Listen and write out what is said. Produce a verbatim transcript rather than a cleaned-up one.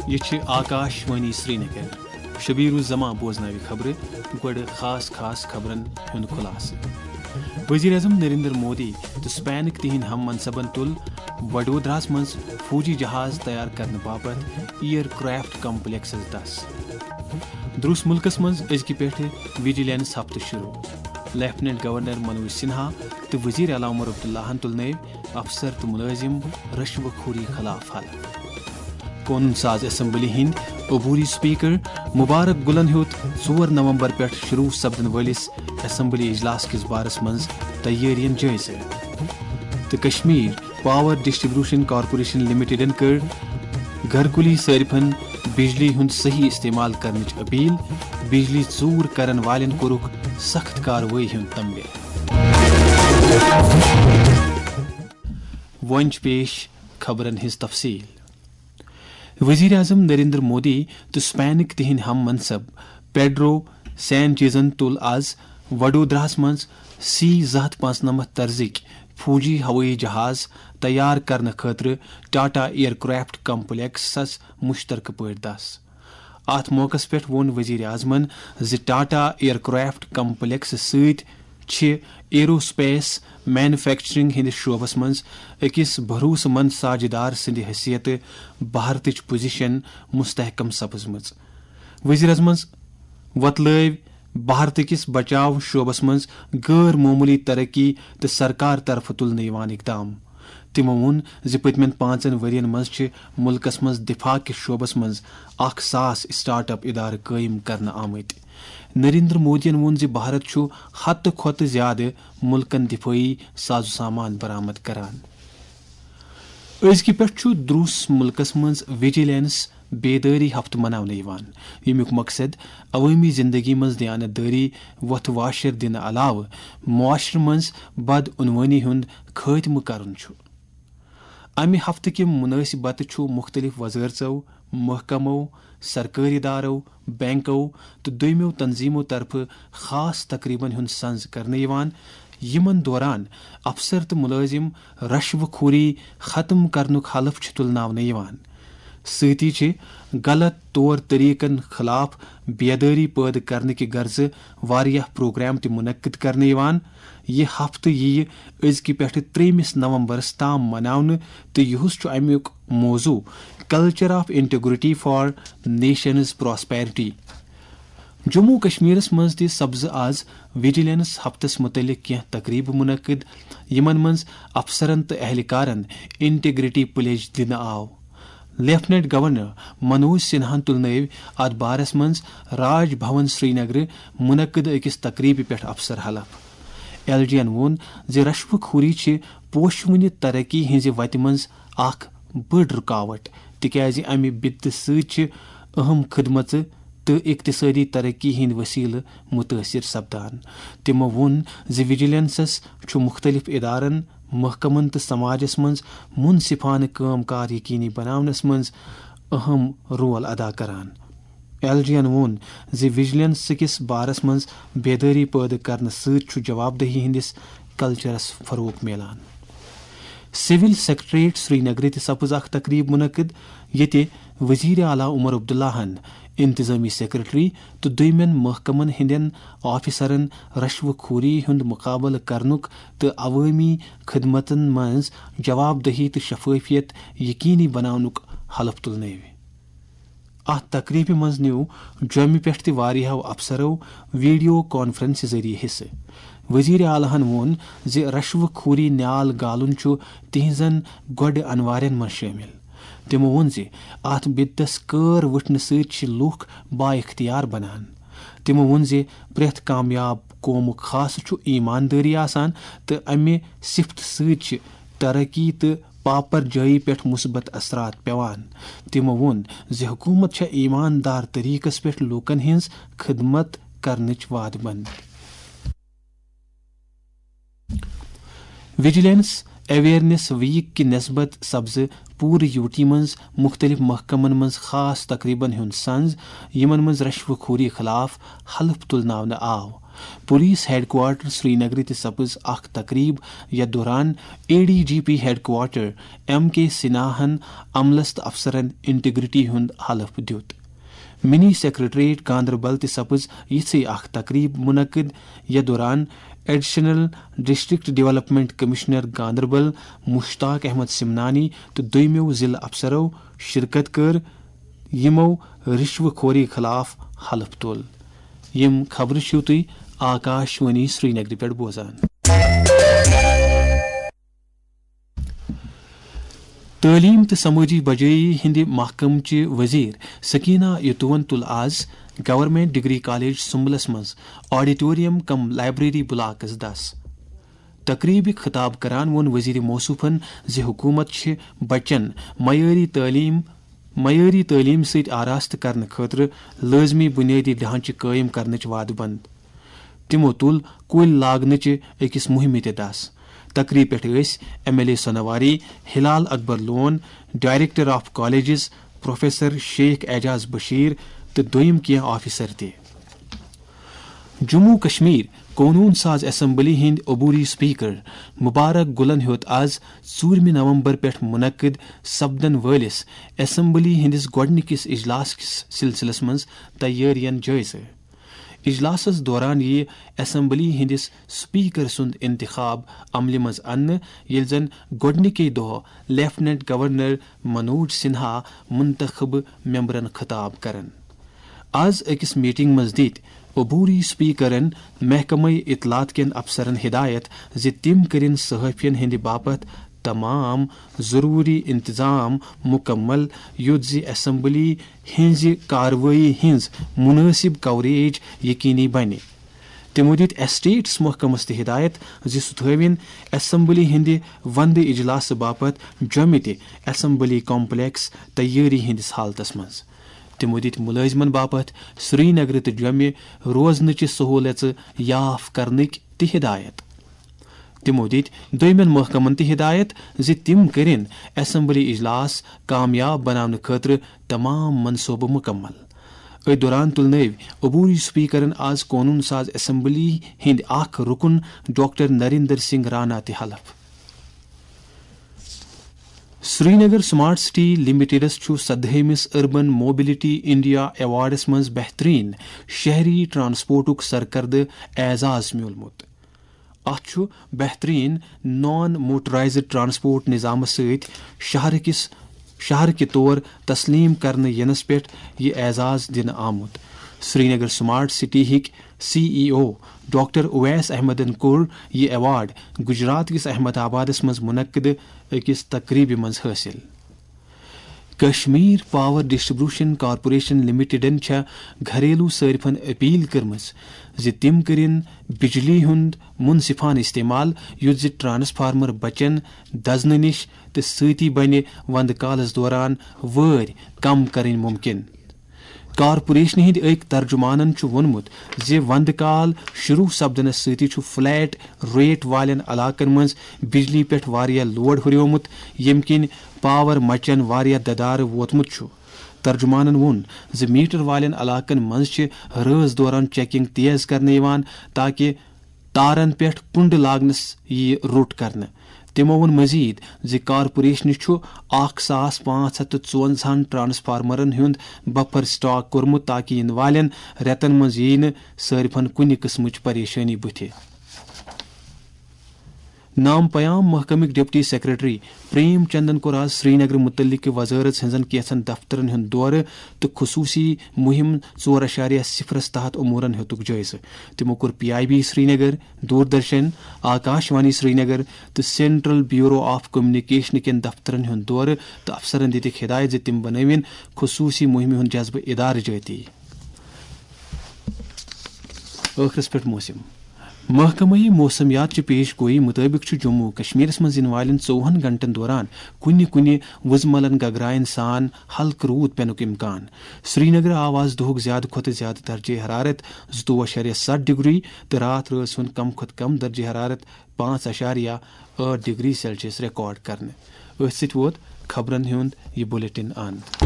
یہِ چھِ آکاش وانی سرینگر۔ شبیر الزمان بوزناوِ خبرٕ، گۄڈٕ خاص خاص خبرن ہُنٛد خُلاصہٕ۔ وزیر اعظم نریندر مودی تہٕ سپینٕکۍ تِہنٛدۍ ہم منصبن تُل وڈودراہس منٛز فوجی جہاز تیار کرنہٕ باپتھ ایئر کرافٹ کمپلیکسس دس۔ درٛوس مُلکس منٛز أزکہِ پٮ۪ٹھٕ وجیلنس ہفتہٕ شروع۔ لیفٹیننٹ گورنر منوج سنہا تہٕ وزیر اعلیٰ عمر عبداللہن تُلنٲوۍ افسر تہٕ مُلٲزِم رشوٕ خوری خلاف حلف۔ قونوٗن ساز اسمبلی ہٕنٛدۍ عبوری سپیکر مبارک گلن ہیوٚت ژور نومبر پٮ۪ٹھ شروع سپدن وٲلِس اسمبلی اجلاس کِس بارس منٛز تیٲرین جٲیزٕ۔ تہٕ کشمیر پاور ڈسٹریبیوشن کارپوریشن لمیٹڈن کٔر گھرکُلی صارفن بجلی ہُنٛد صحیح استعمال کرنٕچ اپیل، بجلی ژوٗر کرن والٮ۪ن کوٚرُکھ سخت کاروٲیی ہُنٛد تنبیہ۔ وۄنۍ چھِ پیش خبرن ہٕنٛز تفصیل۔ وزیر اعظم نریندر مودی تہٕ سپینٕکۍ تِہنٛدۍ ہم منصب پیڈرو سینچیزن تُل آز وڈودراہس منٛز سی زٕ ہتھ پانٛژنمتھ طرزٕکۍ فوجی ہوٲیی جہاز تیار کرنہٕ خٲطرٕ ٹاٹا ایئر کرافٹ کمپلیکسس مشترکہٕ پٲٹھۍ دس۔ اتھ موقعس پٮ۪ٹھ ووٚن وزیر اعظمن زِ ٹاٹا ایئر کرافٹ کمپلیکس سۭتۍ چھِ ایرو سپیس مینوفیکچرنگ ہٕنٛدِس شعبس منٛز أکِس بھروسہٕ منٛد ساجھیدار سٕنٛدِ حیثیتہٕ بھارتٕچ پوزیشن مستحکم سپٕزمٕژ۔ وزیر اعظمن وۄتلٲوۍ بھارت کِس بچاو شعبس منٛز غٲر معموٗلی ترقی تہٕ سرکار طرفہٕ تُلنہٕ یِوان اقدام۔ تِمو ووٚن زِ پٔتمٮ۪ن پانٛژن ؤرین منٛز چھِ مُلکس منٛز دفاع کِس شعبس منٛز اکھ ساس اسٹارٹ اپ ادارٕ قٲیِم کرنہٕ آمٕتۍ۔ نریندر مودیَن ووٚن زِ بھارت چھُ ہتہٕ کھۄتہٕ زیادٕ مُلکن دفٲعی ساز و سامان برآمد کران۔ أزکہِ پٮ۪ٹھ چھُ درٛوس مُلکس منٛز وجیلنس بیدٲری ہفتہٕ مناونہٕ یِوان، ییٚمیُک مقصد عوٲمی زندگی منٛز دیانت دٲری وۄتھٕ واشر دِنہٕ علاوٕ معاشرٕ منٛز بدعنوٲنی ہُنٛد خٲتمہٕ کرُن چھُ۔ امہِ ہفتہٕ کہِ مناسبتہٕ چھُ مُختٔلِف وزارژو، محکمو، سرکٲرۍ ادارو، بینکو تہٕ دوٚیمٮ۪و تنظیمو طرفہٕ خاص تقریبن ہُنٛد سنز کرنہٕ یِوان، یِمن دوران افسر تہٕ مُلٲزِم رشوٕ خوری ختم کرنُک حلف چھِ تُلناونہٕ یِوان۔ سۭتی چھِ غلط طور طریقن خلاف بیدٲری پٲدٕ کرنہٕ کہِ غرضہٕ واریاہ پروگرام تہِ منعقد کرنہٕ یِوان۔ یہِ ہفتہٕ یِیہِ أزکہِ پٮ۪ٹھٕ ترٛیٚیمِس نومبرس تام مناونہٕ تہٕ یُہُس چھُ امیُک موضوع Culture of Integrity for Nation's Prosperity۔ Jammu و کشمیرس منٛز تہِ سپزٕ آز وجیلنس ہفتس متعلق کینٛہہ تقریبہٕ منعقد، یِمن منٛز افسرن تہٕ اہلکارن انٹیگریٹی پلیج دِنہٕ آو۔ لیفٹیننٹ گورنر منوج سنہاہن تُلنٲوۍ اتھ بارس منٛز راج بھون سرینگرٕ منعقد أکِس تقریبہِ پٮ۪ٹھ افسر حلف۔ ایل جی ین ووٚن زِ رشوٕ خوری چھِ پوشوٕنہِ ترقی ہٕنٛزِ وتہِ منٛز اکھ بٔڑ رُکاوٹ، تِکیازِ امہِ بدتہٕ سۭتۍ چھِ اہم خدمژٕ تہٕ اقتصٲدی ترقی ہٕنٛدۍ وسیلہٕ متٲثر سپدان۔ تِمو ووٚن زِ وجیلنسس چھُ مُختٔلِف ادارن، محکمن تہٕ سماجس منٛز منصفانہٕ کٲم کار یقینی بناونس منٛز اہم رول ادا کران۔ ایل جی ین ووٚن زِ وجیلنس کِس بارس منٛز بیدٲری پٲدٕ کرنہٕ سۭتۍ چھُ جوابدہی ہٕنٛدِس کلچرس فروغ میلان۔ سول سیکرٹریٹ سرینگرٕ تہِ سپٕز اکھ تقریب منعقد، ییٚتہِ وزیر اعلیٰ عمر عبداللہن انتظامی سیکرٹری تہٕ دوٚیمٮ۪ن محکمن ہٕنٛدٮ۪ن آفیسرن رشوٕ خوری ہُنٛد مقابلہٕ کرنُک تہٕ عوٲمی خدمتن منٛز جوابدہی تہٕ شفافیت یقینی بناونُک حلف تُلنٲوۍ۔ اتھ تقریبہِ منٛز نیوٗ جوٚمہِ پٮ۪ٹھ تہِ واریاہو افسرو ویڈیو کانفرنسہِ ذٔریعہٕ حصہٕ۔ وزیر اعلیٰ ہن ووٚن زِ رشوٕ خوری نیال گالُن چھُ تِہنٛزن گۄڈٕ انوارٮ۪ن منٛز شٲمِل۔ تِمو ووٚن زِ اتھ بدتس کٲر وٕٹھنہٕ سۭتۍ چھِ لوٗکھ با اختیار بنان۔ تِمو ووٚن زِ پرٛٮ۪تھ کامیاب قومُک خاصہٕ چھُ ایماندٲری آسان تہٕ امہِ صفتہٕ سۭتۍ چھِ ترقی تہٕ پاپر جٲیی پٮ۪ٹھ مثبت اثرات پٮ۪وان۔ تِمو ووٚن زِ حکوٗمت چھےٚ ایماندار طریقس پٮ۪ٹھ لوٗکن ہٕنٛز خدمت کرنٕچ وعدٕ بنٛد۔ وجیلنس اویئرنیس ویک کہِ نسبت سپزٕ پوٗرٕ یوٗ ٹی منٛز مُختٔلِف محکمن منٛز خاص تقریبن ہُنٛد سنز، یِمن منٛز رشوٕ خوری خلاف حلف تُلناونہٕ آو۔ پولیس ہیڈ کوارٹر سرینگرٕ تہِ سپٕز اکھ تقریب، یتھ دوران A D G P head quarter M K سنہاہن عملس تہٕ افسرن انٹیگریٹی ہُنٛد حلف دیُت۔ منی سیکرٹریٹ گاندربل تہِ سپٕز یِژھٕے اکھ تقریب منعقد، یتھ دوران additional district development commissioner Ganderbal Mushtaq Ahmad Simnani تہٕ دوٚیمٮ۪و ضلع افسرو شرکت کٔر، یِمو رشوٕ خوری خلاف حلف تُل۔ یِم خبرٕ چھِو تُہۍ آکاش وانی سرینگرٕ پٮ۪ٹھ بوزان۔ تعلیٖم تہٕ سمٲجی بجٲیی ہٕنٛدِ محکمہٕ چہِ وزیر سکینہ یتوون تُل آز گورنمنٹ ڈگری کالج سُمبلس منٛز آڈیٹوریم کم لائبریری بلاکس دس۔ تقریبہِ خطاب کران ووٚن وزیر موصوفن زِ حکومت چھِ بچن معیٲری تعلیٖم، معیٲری تعلیٖم سۭتۍ آراستہٕ کرنہٕ خٲطرٕ لٲزمی بنیٲدی ڈھانچہٕ قٲیِم کرنٕچ وعدٕ بنٛد۔ تِمو تُل کُلۍ لاگنٕچہِ أکِس مُہِمہِ تہِ دَس۔ تقریٖب پٮ۪ٹھ ٲسۍ M L A Sonawari, Hilal Akbar Lone, director of colleges professor Sheikh Ejaz Bashir تہٕ دوٚیِم کینٛہہ آفیسر تہِ۔ جموں کشمیر قونوٗن ساز اسمبلی ہٕنٛدۍ عبوری اسپیکر مبارک گلن ہیوٚت آز ژوٗرمہِ نومبر پٮ۪ٹھ منعقد سپدن وٲلِس اسمبلی ہٕنٛدِس گۄڈٕنِکِس اجلاس کِس سلسلس منٛز تیٲرین جٲیزٕ۔ اجلاسس دوران یِیہِ اسمبلی ہٕنٛدِس اسپیکر سُنٛد انتخاب عملہِ منٛز اننہٕ، ییٚلہِ زن گۄڈٕنِکے دۄہ لیفٹیننٹ گورنر منوج سنہا منتخب ممبرن خطاب کرن۔ از أکِس میٹنگ منٛز دِتۍ عبوری اسپیکرن محکمہ اطلاعات کٮ۪ن افسرن ہدایت زِ تِم کٔرِن صحافین ہٕنٛدِ باپتھ تمام ضروری انتظام مکمل، یُتھ زِ اسمبلی ہٕنٛزِ کاروٲیی ہٕنٛز مناسب کوریج یقینی بنہِ۔ تِمو دِتۍ ایسٹیٹس محکمس تہِ ہدایت زِ سُہ تھٲوِن اسمبلی ہٕنٛدِ وندٕ اجلاسہٕ باپتھ جۄمہِ تہِ اسمبلی کمپلیکس تیٲری ہٕنٛدِس حالتس منٛز۔ تِمو دِتۍ مُلٲزمن باپتھ سرینگرٕ تہٕ جۄمہِ روزنٕچہِ سہوٗلژٕ یاف کرنٕکۍ تہِ ہدایت۔ تِمو دِتۍ دوٚیمٮ۪ن محکمن تہِ ہدایت زِ تِم کٔرِن اسمبلی اجلاس کامیاب بناونہٕ خٲطرٕ تمام منصوبہٕ مکمل۔ أتھۍ دوران تُلنٲوۍ عبوری اسپیکرن آز قونوٗن ساز اسمبلی ہٕنٛدۍ اکھ رُکُن ڈاکٹر نریندر سنگھ رانا تہِ حلف۔ سرینگر سمارٹ سٹی لمیٹڈس چھُ سدہٲمِس اربن موبلٹی انڈیا ایوارڈس منٛز بہترین شہری ٹرانسپورٹُک سرکردٕ اعزاز میوٗلمُت۔ اتھ چھُ بہترین نان موٹرائزڈ ٹرانسپورٹ نظامس سۭتۍ شہر کِس، شہر کہِ طور تسلیم کرنہٕ ینس پٮ۪ٹھ یہِ اعزاز دِنہٕ آمُت۔ سرینگر سمارٹ سٹی ہٕکۍ سی ای او ڈاکٹر اویس احمدن کوٚر یہِ ایوارڈ گجرات کِس احمد آبادس منٛز منعقدٕ أکِس تقریبہِ منٛز حٲصِل۔ کشمیر پاور ڈسٹریبیوشن کارپوریشن لمیٹڈن چھےٚ گھریلو صارفن اپیل کٔرمٕژ زِ تِم کٔرِن بجلی ہُنٛد منصفانہٕ استعمال، یُتھ زِ ٹرانسفارمر بچن، دزنہٕ نِش تہٕ سۭتی بنہِ وندٕ کالس دوران وٲرۍ کم کرٕنۍ ممکن۔ کارپوریشنہِ ہٕنٛدۍ أکۍ ترجمانن چھُ ووٚنمُت زِ وندٕ کال شروع سپدنس سۭتۍ چھُ فلیٹ ریٹ والٮ۪ن علاقن منٛز بجلی پٮ۪ٹھ واریاہ لوڈ ہُریومُت، ییٚمہِ کِنۍ پاور مچن واریاہ ددارٕ ووتمُت چھُ۔ ترجمانن ووٚن زِ میٹر والٮ۪ن علاقن منٛز چھِ رٲژ دوران چیکنگ تیز کرنہٕ یِوان، تاکہ تارن پٮ۪ٹھ کُنڈٕ لاگنس یِیہِ روٚٹ کرنہٕ۔ تِمو ووٚن مزید زِ کارپوریشنہِ چھُ اکھ ساس پانٛژھ ہتھ تہٕ ژُونٛزاہن ٹرانسفارمرن ہُنٛد بفر سٹاک کوٚرمُت، تاکہ یِنہٕ والٮ۪ن رٮ۪تن منٛز یِیہِ نہٕ صارفن کُنہِ قٕسمٕچ پریشٲنی بُتھِ۔ نام پیام محکمٕکۍ ڈپٹی سیکرٹری پریم چندن کوٚر آز سرینگرٕ متعلقہٕ وزارت ہٕنٛزن کینٛژن دفترن ہُنٛد دورٕ تہٕ خصوٗصی مُہِم ژور اَشاریہ صفرس تحت امورن ہیوٚتُکھ جٲیزٕ۔ تِمو کوٚر P I B Srinagar, Doordarshan, Akashvani Srinagar تہٕ سینٹرل بیورو آف کمیونیکیشن کٮ۪ن دفترن ہُنٛد دورٕ تہٕ افسرن دِتِکھ ہدایت زِ تِم بنٲوِن خصوٗصی مُہِمہِ ہُنٛد جذبہٕ ادارٕ جٲتی۔ ٲخرس پٮ۪ٹھ موسم۔ محکمہ موسمیات چہِ پیش گویی مُطٲبِق چھُ جموں و کشمیرس منٛز یِنہٕ والٮ۪ن ژوٚوُہن گھنٹن دوران کُنہِ کُنہِ وُزملن گگراین سان ہلکہٕ روٗد پینُک امکان۔ سرینگر آو آز دُہُک زیادٕ کھۄتہٕ زیادٕ درجہ حرارت زٕتووُہ اَشاریہ ستھ ڈگری تہٕ راتھ رٲژ ہُنٛد کم کھۄتہٕ کم درجہ حرارت پانٛژھ اَشاریہ ٲٹھ ڈگری سیلسیس ریکارڈ کرنہٕ۔ أتھۍ سۭتۍ ووت خبرن ہُنٛد یہِ بلیٹن اند۔